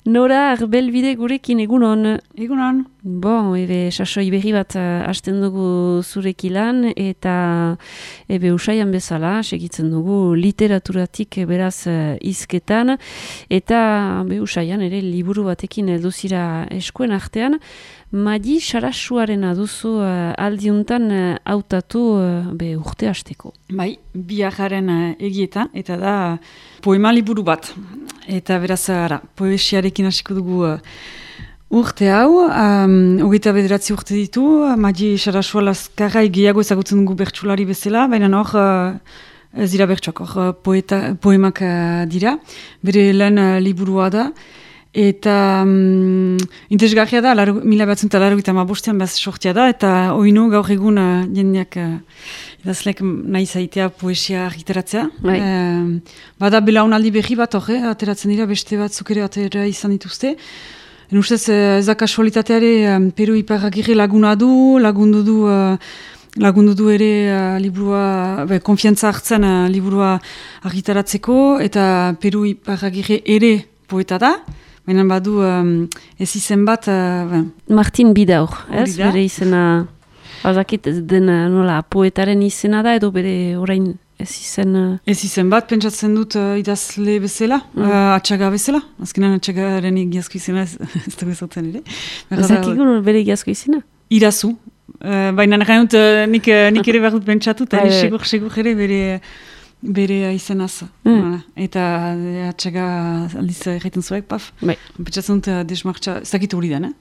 Nora Arbelbide gurekin egunon. Egunon. Bon, sasoi berri bat hasten dugu zurekilan eta usaian bezala segitzen dugu literaturatik beraz hizketan eta usaian ere liburu batekin elduzira eskuen artean. Madi Sarasuarena duzu aldiuntan hautatu urte hasteko. Bai, biajaren egieta eta da poema liburu bat. Eta beraz, poesiarekin hasiko dugu urte hau, 29 urte ditu, Madi Sarasua Lazkarrai gehiago ezagutzen dugu bertsulari bezala, baina hor ez dira bertsuak, hor poemak dira, bere lehen liburua da, eta interesgarria da, 1985 behaz sortia da, eta oinu gaur egun jendeak idazleek nahi zaitea poesia argitaratzea. Bada belaunaldi berri bat ateratzen dira, beste batzuk ere atera izan dituzte. Ustez ez da kasualitateare Peru Iparragirre lagundu du ere liburua, konfiantza hartzen liburua argitaratzeko, eta Peru Iparragirre ere poeta da. Baina badu ez izen bat... Martin Bidaur, ez? Bere izena, bazakit den nola, poetaren izena da, edo bere orain ez izen... Ez izen bat, pentsatzen dut idazle bezala, atxaga bezala. Azkenan atxagaren egiazko izena ez dugu ezotzen ere. Ezakikun bere egiazko izena? Irazu. Baina nahi dut nik ere behar dut pentsatu, eta segur ere bere izenaz. Eta atxaga aldiz egiten zuek, paf. Pentsatzen dut desmartxa, ez dakit hori den,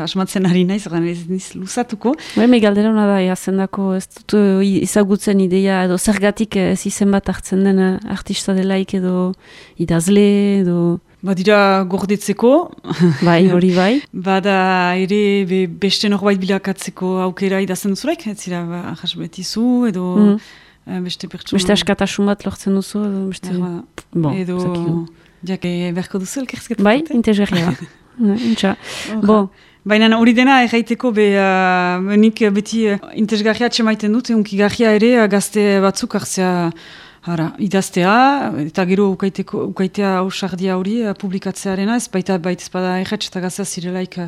asmatzen ari naiz, ez niz luzatuko. Me galdera hona da, jazendako ez dut izagutzen ideia, edo zergatik ez izen bat hartzen den artista delaik, edo idazle, edo... Badira gordetzeko. Bai, hori bai. Bada ere beste norbait bilakatzeko aukera idazen duzulek, ez zira jasbetizu, edo... Beste askatasun bat lortzen duzu, edo jake berko duzu elkerzketan. Bai, interesgarria da. Baina hori dena erraiteko nik beti interesgarria atxemaiten dut, unkigarria ere gazte batzuk hartzea idaztea, eta gero ukaitea ausardia hori publikatzearena, ez baita erratz eta gaztea zirelaik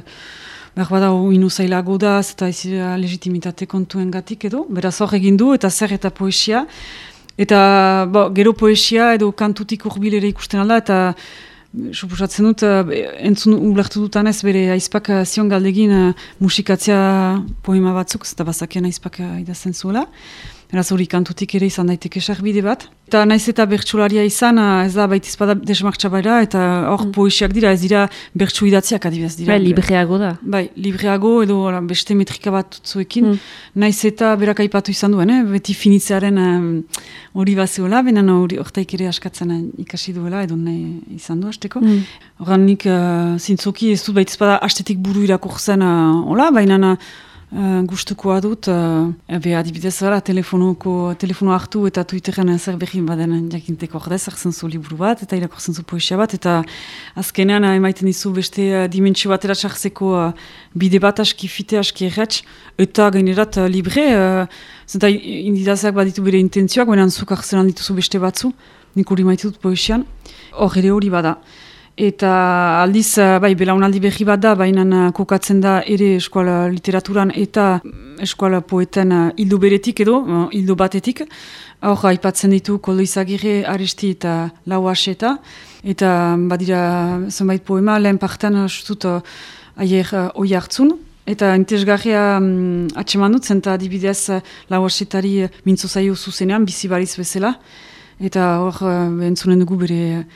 behar bada inu zailago da, eta ez legitimitate kontuen gatik edo. Beraz hor egin du, eta zer eta poesia. Eta gero poesia edo kantutik urbilere ikusten alda, eta suposatzen dut, entzun ulertu dutanez bere aizpak zion galdegin musikatzea poema batzuk, eta bazakien aizpak idazen zuela. Beraz hori kantutik ere izan daiteke sarbide bat. Eta naiz eta bertsularia izan, ez da baitizpada desmartxa baira, eta hor poesiak dira, ez dira bertsu idatziak adibidez dira. Bai, libreago da. Bai, libreago edo beste metrika bat zuekin. Naiz eta berak aipatu izan duen, beti finitzearen hori bazeola, benen hortaik ere askatzen ikasi duela, edo nahi izan du hasteko. Horan nik zintzoki ez dut baitizpada hastetik buru irakurtzen hola, baina gustukoa dut, adibidez telefono hartu eta Twitteren zer berri baden jakinteko ordez, hartzen zu liburu bat, eta irakurtzen zu poesia bat, eta azkenean emaiten dizu beste dimentsio batera txartzeko bide bat aski fite, aski erratx, eta gainerat libre, zenta indidazak baditu bere intentzioak, baina zuk hartzen dituzu beste batzu, nik hori maite dut poesian, hor ere hori bada. Eta aldiz, belaunaldi berri bat da, baina kokatzen da ere eskola literaturan eta eskola poeten hildo beretik edo, hildo batetik. Hor, aipatzen ditu Koldo Izagirre, Aresti eta Lau Aseta. Eta badira zenbait poema, lehen partean sutut aier oi hartzun. Eta interesgarria atseman dut, zenta adibidez Lau Asetari mintzo zaio zuzenean, bizi bariz bezala. Eta hor, entzunen dugu bere...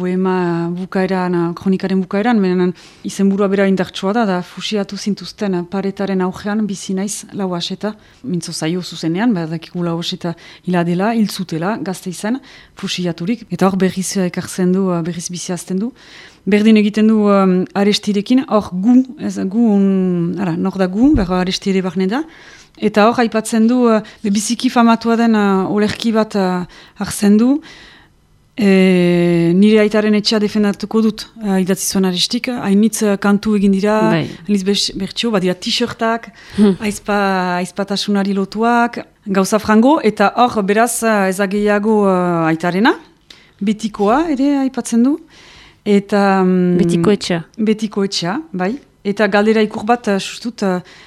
poema bukaeran, kronikaren bukaeran, menen izenburua bera indartsua da fusiatu zintuzten paretaren augean bizi naiz Lau Aseta, mintzo zaio zuzenean, badakigu Lau Aseta hiladela, hiltzutela, gazte izan, fusiaturik, eta hor berriz ekartzen du, berriz bizi azten du. Berdin egiten du Arestirekin, hor nor da gu, berra Arestire barne da, eta hor aipatzen du, biziki famatua den olerki bat hartzen du, nire aitaren etxea defendatuko dut idatzi zuen Arestik, hainitz kantu egin dira, hainitz bertxio, badira t-shirtak, aizpatasunari lotuak, gauza frango, eta hor beraz ezageiago aitarena, betikoa ere aipatzen du, Eta... Betiko etxea. Betiko etxea, bai. Eta galdera ikur bat, sustut,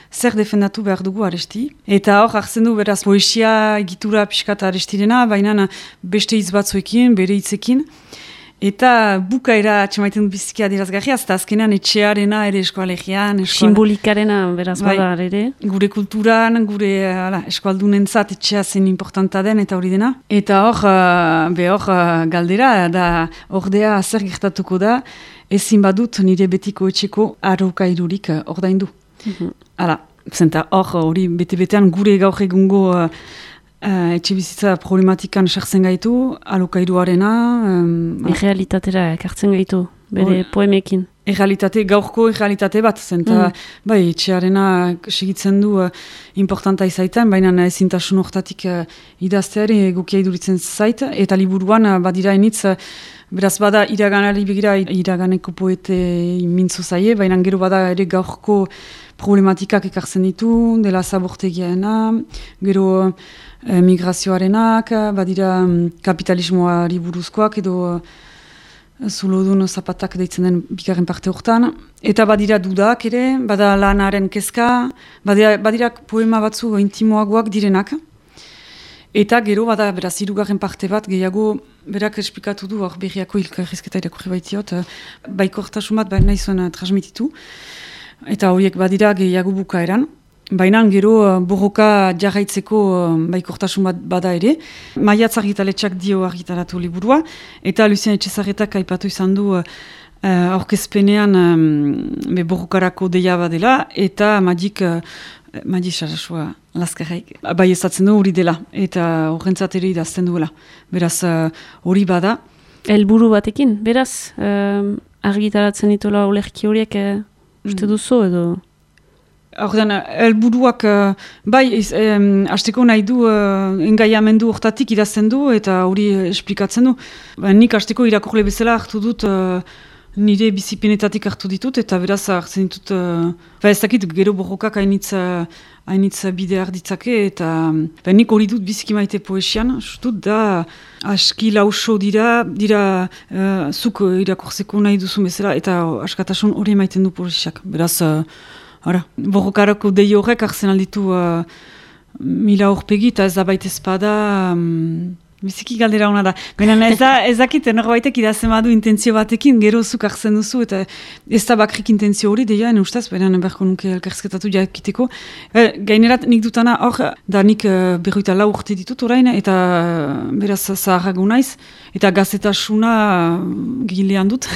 zer defendatu behar dugu Aresti. Eta hor, hartzen du, beraz, poesia egitura pixkat Arestirena, baina beste hitz batzuekin, bere hitzekin. Eta bukaera atxemaiten biziki adierazgarria, eta azkenean etxearena ere eskoalegian. Simbolikarena beraz badar ere. Gure kulturan, gure eskualdunentzat etxea zen importanta den eta hori dena. Eta hor galdera, da ordea zer gertatuko da, ezin badut nire betiko etxeko arrokairurik ordaindu. Hala, zenta hori bete-betean gure gaur egungo etxe bizitza problematikan sartzen gaitu, alokairuarena... Errealitatera ekartzen gaitu, bere poemekin. Gaurko errealitate bat, zenta bai, etxearena segitzen du importanta izaiten, baina ezintasun hortatik idazteari egokia iduritzen zait, eta liburuan badira enitz, beraz bada iraganari begira, iraganeko poete mintzo zaie, baina gero bada ere gaurko problematikak ekartzen ditu, dela zabortegiaena, gero migrazioarenak, badira kapitalismoari buruzkoak edo zulodun zapatak deitzen den bigarren parte hortan. Eta badira dudak ere, bada lanaren kezka, badira poema batzu intimoagoak direnak. Eta gero bada beraz hirugarren parte bat gehiago berak esplikatu du hor berriako hilkarrizketa irakurri baitiot, baikortasun bat nahi zuen transmititu. Eta horiek badira gehiago bukaeran. Baina gero borroka jarraitzeko baikortasun bat bada ere. Maiatz argitaletxak dio argitaratu liburua. Eta Lucien Etxezarretak aipatu izan du aurkezpenean borrokarako deia badela. Eta Madi Sarasua Laskarraik bai ezatzen du hori dela. Eta horrentzat ere idazten duela. Beraz hori bada. Helburu batekin, beraz argitaratzen ditola ulerki horiek uste duzu edo... Ordean, helburuak bai, hasteko nahi du engaiamendu hortatik idazten du eta hori esplikatzen du. Nik hasteko irakurle bezala hartu dut nire bizipenetatik hartu ditut eta beraz hartzen ditut ez dakit gero borrokak hainitz bide arditzake eta nik hori dut biziki maite poesian, justut da aski lauso dira zuk irakurzeko nahi duzu bezala eta askatasun hori maiten du poesiak. Beraz, borrokarako dei horrek hartzen alditu mila horpegi eta ez da baita espada biziki galdera hona da. Baina ez dakit norbaitek idazten badu intentzio batekin, gero zuk hartzen duzu eta ez da bakrik intentzio hori deia, ustez, baina berko nuke elkarrizketatu jakiteko. Gainerat nik dutana hor, da nik 24 urte ditut orain eta beraz zaharrago naiz eta gazetasuna gilean dut.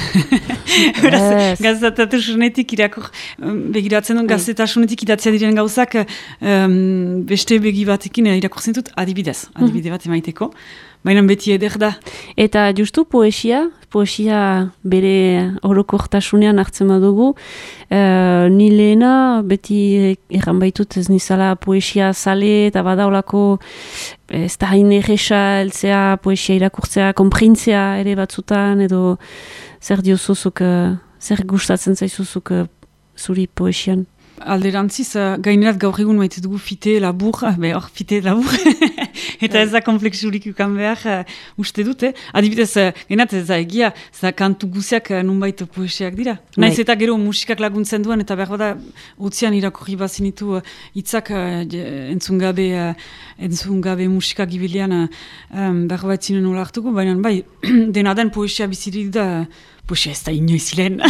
Beraz, gazetasunetik irakur begiratzen dut, gazetasunetik idatzea diren gauzak beste begi batekin irakurtzen dut adibide bat emaiteko. Baina beti eder da. Eta justu poesia bere orokortasunean hartzen badugu, ni lehena beti erran baitut ez nizala poesia zale eta badaulako ez da hain erresa eltzea poesia irakurtzea, konprintzea ere batzutan edo zer diozuzuk, zer gustatzen zaizuzuk zuri poesian. Alderantziz, gainerat gaur egun maite dugu fite labur, eta ez da kompleksurik ukan behar uste dute. Adibidez, genat ez da egia, ez kantu guziak nunbait poesiak dira. Naiz eta gero musikak laguntzen duen, eta behar bada utzian irakurri bazinitu hitzak entzun gabe musikak ibilean behar bat zinen nola hartuko, baina bai, dena den poesia bizirik da, poesia ez da inoiz ziren.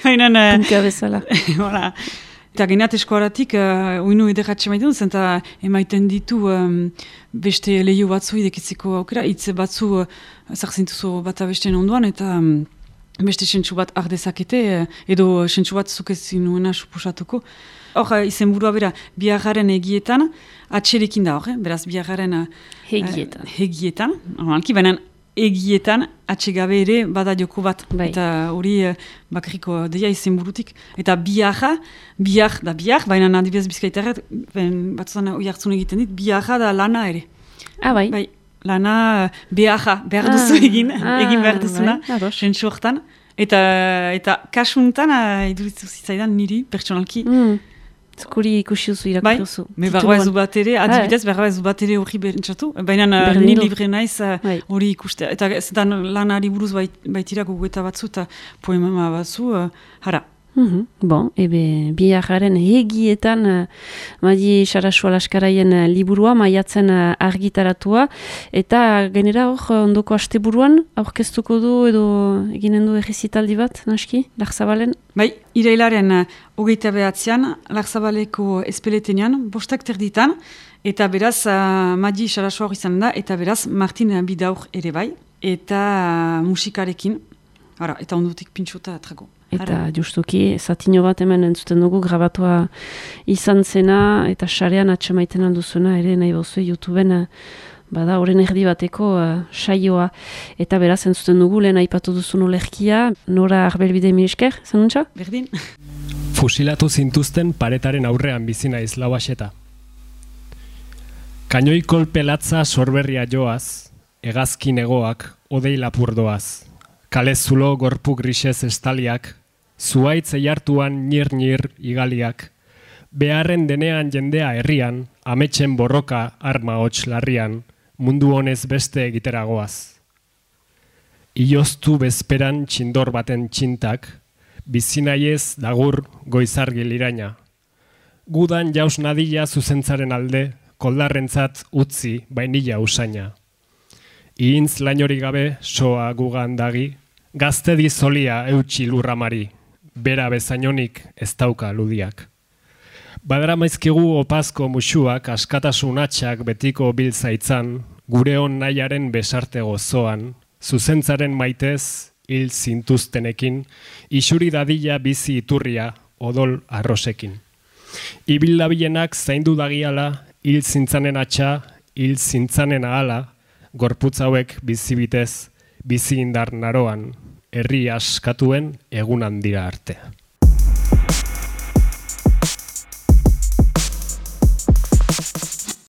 Punka bezala. Eta genat eskuaratik, oinu ederratxe maiten dut, eta emaiten ditu beste lehio batzu idekitzeko aukera, hitze batzu zarzintuzu bat abesten onduan, eta beste sentsu bat ardezakete, edo sentsu bat zukezin nuena suposatuko. Hor, izenburua bera, biharraren egietan, atxerekin da hor, beraz biharraren hegietan, normalki, baina egietan atxegabe ere bada joko bat. Bai. Eta hori bakariko deia izenburutik. Eta bihar, baina adibidez bizkaitarret, batzutan hori hartzun egiten dit, biharra da lana ere. Bai. Lana behar duzu egin behar duzuna, sentsu hortan. Eta kasuntan idurizu zitzaidan niri, pertsonalki, Zukuri ikusi duzu, irakurri duzu. Bai, berroa ez du bat ere, adibidez, berroa ez du bat ere hori berentzatu. Baina ni libre naiz hori ikustea. Eta zetan lanari buruz baitira gogoeta batzu eta poema batzu, hara. Bon, biharren egietan Madi Sarasua Laskaraien liburua, maiatzen argitaratua, eta genera hor ondoko asteburuan aurkeztuko du edo eginen du errezitaldi bat, naski, Larzabalen? Bai, irailaren 29an, Larzabaleko espeletenean, 5:00 eta beraz Madi Sarasua hor izan da, eta beraz Martin Bidaur ere bai, eta musikarekin, eta ondotik pintxota atrago. Eta justuki, zatino bat hemen entzuten dugu, grabatua izan zena, eta sarean atxamaiten alduzuena, ere nahi bozue YouTubeen, bada horren erdi bateko saioa. Eta beraz entzuten dugu, lehen aipatu duzun olerkia, Nora Arbelbide Milesker, zanuntza? Berdin. Fusilatu zintuzten paretaren aurrean bizi naiz Lauaxeta. Kainoi kolpe latza sorberria joaz, hegazkin egoak, odei lapurdoaz. Kale zulo gorpu grisez estaliak, zuaitz eiartuan nir-nir igaliak, beharren denean jendea herrian, ametsen borroka arma hots larrian, mundu honez beste egiteragoaz. Ioztu bezperan txindor baten txintak, bizinaiez dagur goizargi liraina. Gudan jaus nadila zuzentzaren alde, koldarrentzat utzi bainila usaina. Ihintz lainori gabe soa gugan dagi, gazte dizolia eutxi lurramari, bera bezainonik ez dauka ludiak. Badara maizkigu opazko musuak askatasun atxak betiko biltzaitzan, gure hon nahiaren besarte gozoan, zuzentzaren maitez, hil zintuztenekin, isuri dadila bizi iturria odol arrosekin. Ibil dabilenak zaindu dagiala, hil zintzanen atxa, hil zintzanen ahala, gorputz hauek bizibitez, bizi indar naroan, herri askatuen egunan dira arte.